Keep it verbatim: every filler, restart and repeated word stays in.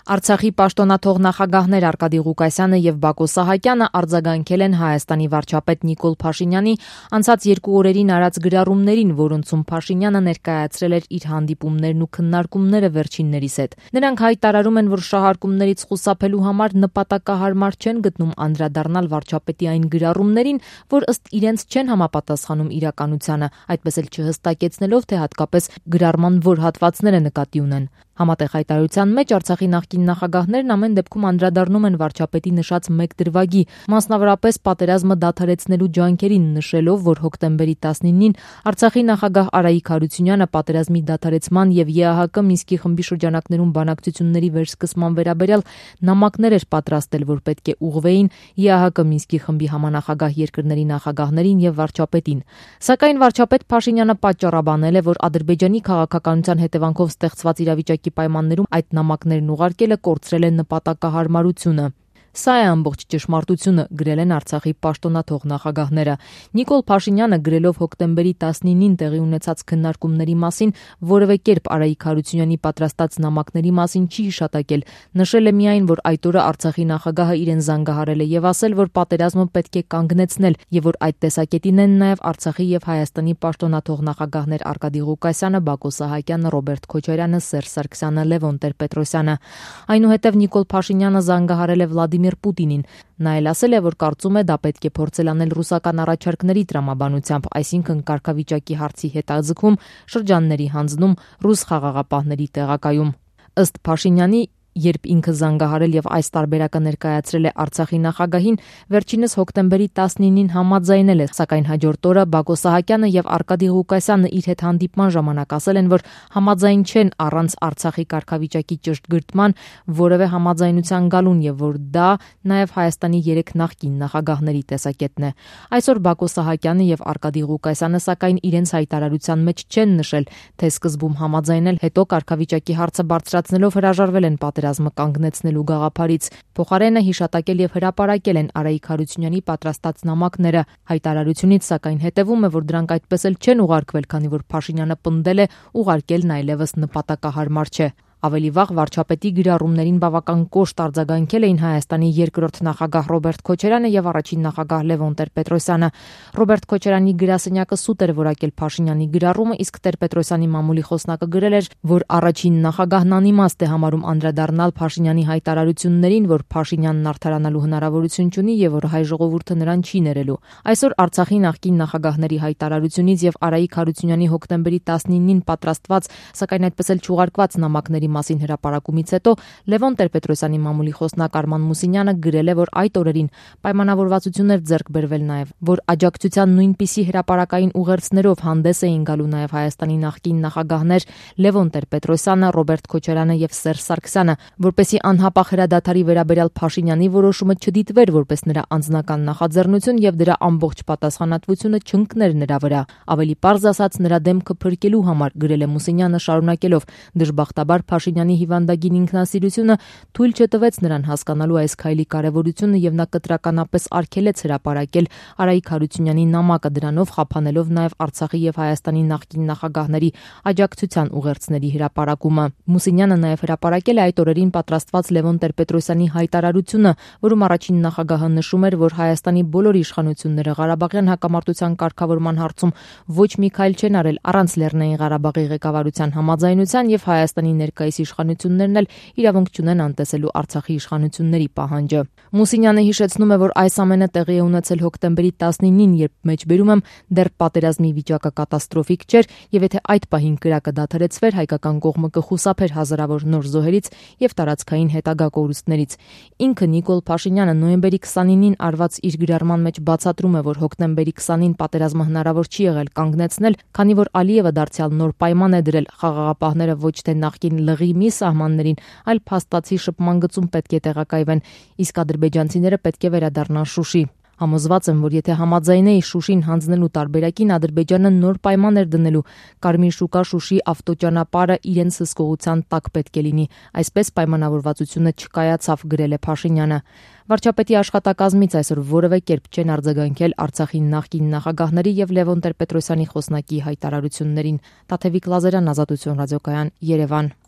Արցախի պաշտոնաթող նախագահներ Արկադի Ղուկասյանը եւ Բակո Սահակյանը արձագանքել են Հայաստանի վարչապետ Նիկոլ Փաշինյանի անցած երկու օրերին արած գրառումներին, որոնցում Փաշինյանը ներկայացրել էր իր հանդիպումներն ու քննարկումները վերջիններիս հետ։ Նրանք հայտարարում են, որ շահարկումներից խուսափելու համար նպատակահարմար չեն գտնում անդրադառնալ վարչապետի այն գրառումներին, որ ըստ իրենց չեն համապատասխանում իրականությանը, այդպես էլ չհստակեցնելով, թե հատկապես գրառման որ հատվածները նկատի ունեն։ Համատեղ հայտարարության մեջ Արցախի նախկին նախագահներն ամեն դեպքում անդրադառնում են վարչապետի նշած մեկ դրվագի, մասնավորապես պատերազմը դադարեցնելու ջանքերին, նշելով, որ հոկտեմբերի տասնինին Արցախի նախագահ Արայիկ Հարությունյանը պատերազմի դադարեցման եւ ԵԱՀԿ Մինսկի խմբի շրջանակներում բանակցությունների վերսկսման վերաբերյալ նամակներ էր պատրաստել, որ պետք է ուղղվեին ԵԱՀԿ Մինսկի խմբի համանախագահ երկրների նախագահներին եւ վարչապետին։ Սակայն վարչապետ Փաշինյանը պատճառաբանել է, որ Ադրբեջանի քաղաքականության հետևանքով ստեղծված իրավիճակի պայմաններում այդ նամակներն ուղարկելը կորցրել է նպատակահարմարությունը։ Սա է ամբողջ ճշմարտությունը, գրել են Արցախի պաշտոնաթող նախագահները։ Նիկոլ Փաշինյանը գրելով հոկտեմբերի տասնինին տեղի ունեցած քննարկումների մասին որևէ կերպ Արայիկ Հարությունյանի պատրաստած նամակների մասին չի հիշատակել, նշել է միայն, որ այդ օրը Արցախի նախագահը իրեն զանգահարել է եւ ասել, որ պատերազմը պետք է կանգնեցնել եւ որ այդ տեսակետին են նաեւ Արցախի եւ Հայաստանի պաշտոնաթող նախագահներ Արկադի Ղուկասյանը, Բակո Սահակյանը, Ռոբերտ Քոչարյանը, Սերժ Սարգսյանը, Լևոն Տեր-Պետրոսյանը։ Այնուհետև Նիկոլ Փաշինյանը զանգահարել է Վլադիմիր Պուտինին։ Նա էլ ասել է, որ կարծում է դա պետք է փորձել անել ռուսական առաջարկների տրամաբանությամբ, այսինքն կարգավիճակի հարցի հետաձգում, շրջանների հանձնում, ռուս խաղաղապահների տեղակայում։ Ըստ Փաշինյանի, երբ ինքը զանգահարել եւ այս տարբերակը ներկայացրել է Արցախի նախագահին, վերջինս հոկտեմբերի տասնինին համաձայնել է, սակայն հաջորդ օրը Բակո Սահակյանը եւ Արկադի Ղուկասյանը իր հետ հանդիպման ժամանակ ասել են, որ համաձայն չեն առանց Արցախի կարգավիճակի ճշտգրտման որևէ համաձայնության գալուն եւ որ դա նաեւ Հայաստանի երեք նախկին նախագահների տեսակետն է։ Այսօր Բակո Սահակյանը եւ Արկադի Ղուկասյանը սակայն իրենց հայտարարության մեջ չեն նշել, թե սկզբում համաձայնել, հետո կարգավիճակի հարցը բարձրացնելով հրաժարվել են պատերազմը կանգնեցնելու գաղափարից։ Փոխարենը հիշատակել եւ հրապարակել են Արայիկ Հարությունյանի պատրաստած նամակները։ Հայտարարությունից սակայն հետևում է, որ դրանք այդպես էլ չեն ուղարկվել, քանի որ Փաշինյանը պնդել է ուղարկելն այլևս նպատակահարմար չէ։ Ավելի վաղ վարչապետի գրառումներին բավական կոշտ արձագանքել էին Հայաստանի երկրորդ նախագահ Ռոբերտ Քոչարյանը եւ առաջին նախագահ Լևոն Տեր-Պետրոսյանը։ Ռոբերտ Քոչարյանի գրասենյակը սուտ էր որակել Փաշինյանի գրառումը, իսկ Տեր-Պետրոսյանի մամուլի խոսնակը գրել էր, որ առաջին նախագահն անիմաստ է համարում անդրադառնալ Փաշինյանի հայտարարություններին, որ Փաշինյանն արդարանալու հնարավորություն չունի եւ որ հայ ժողովուրդը նրան չի ներելու։ Այսօր Արցախի նախկին նախագահների հայտարարությունից եւ Արայիկ Հարությունյանի հոկտեմբերի տասնինին պատրաստված, սակայն այդպես էլ չուղարկված նամակների մասին հրապարակումից հետո Լևոն Տեր-Պետրոսյանի մամուլի խոսնակ Արման Մուսինյանը գրել է, որ այդ օրերին պայմանավորվածություններ ձեռք բերվել նաև, որ աջակցության նույնպիսի հրապարակային ուղերձներով հանդես էին գալու նաև Հայաստանի նախկին նախագահներ Լևոն Տեր-Պետրոսյանը, Ռոբերտ Քոչարյանը եւ Սերժ Սարգսյանը, որպեսզի անհապաղ հրադադարի վերաբերյալ Փաշինյանի որոշումը չդիտվեր որպես նրա անձնական նախաձեռնություն եւ դրա ամբողջ պատասխանատվությունը չընկներ նրա վրա։ Ավելի պարզ ասած, նրա դեմքը փրկելու համար, գրել է Մուսինյանը շարունակելով, դժբախտաբար Փաշինյանի հիվանդագին ինքնասիրությունը թույլ չտվեց նրան հասկանալու այս քայլի կարևորությունը եւ նա կտրականապես արգելեց հրապարակել Արայիկ Հարությունյանի նամակը, դրանով խափանելով նաեւ Արցախի եւ Հայաստանի նախկին նախագահների աջակցության ուղերձների հրապարակումը։ Մուսինյանը նաեւ հրապարակել է այդ օրերին պատրաստված Լևոն Տեր-Պետրոսյանի հայտարարությունը, որում առաջին նախագահը նշում էր, որ Հայաստանի բոլոր իշխանությունները Ղարաբաղյան հակամարտության կարգավորման հարցում ոչ մի քայլ չեն արել առանց Լեռնային Ղարաբաղի ղեկավարության համաձայնության եւ Հայաստանի ներկայիս իշխանություններն էլ իրավունք չունեն անտեսելու Արցախի իշխանությունների պահանջը։ Մուսինյանը հիշեցնում է, որ այս ամենը տեղի է ունեցել հոկտեմբերի տասնինին, երբ մեջբերում եմ դեռ պատերազմի վիճակը կատաստրոֆիկ չէր եւ եթե այդ պահին կրակը դադարեցվեր, հայկական կողմը կխուսափեր հազարավոր նոր զոհերից եւ տարածքային հետագա կորուստներից։ Ինքը Նիկոլ Փաշինյանը նոյեմբերի քսանինին արված իր գրառման մեջ բացատրում է, որ հոկտեմբերի քսանին պատերազմը հնարավոր չի եղել կանգնեցնել, քանի որ Ալիևը դարձյալ նոր պայման է դրել, խաղաղապահները ոչ թե նախկին լղի մի սահմաններին, այլ փաստացի շփման գծում պետք է տեղակայվեն, իսկ ադրբեջանցիները պետք է վերադառնան Շուշի։ Համոզված եմ, որ եթե համաձայնեի Շուշին հանձնելու տարբերակին, Ադրբեջանը նոր պայման էր դնելու, Կարմիր շուկա Շուշի ավտոճանապարհը իրենց հսկողության տակ պետք է լինի։ Այսպես պայմանավորվածությունը չկայացավ, գրել է Փաշինյանը։ Վարչապետի աշխատակազմից այսօր որևէ կերպ չեն արձագանքել Արցախի նախկին նախագահների եւ Լևոն Տեր-Պետրոսյանի խոսնակի հայտարարություններին։ Տաթևիկ Լազարյան, Ազատություն ռադիոկայան, Երևան։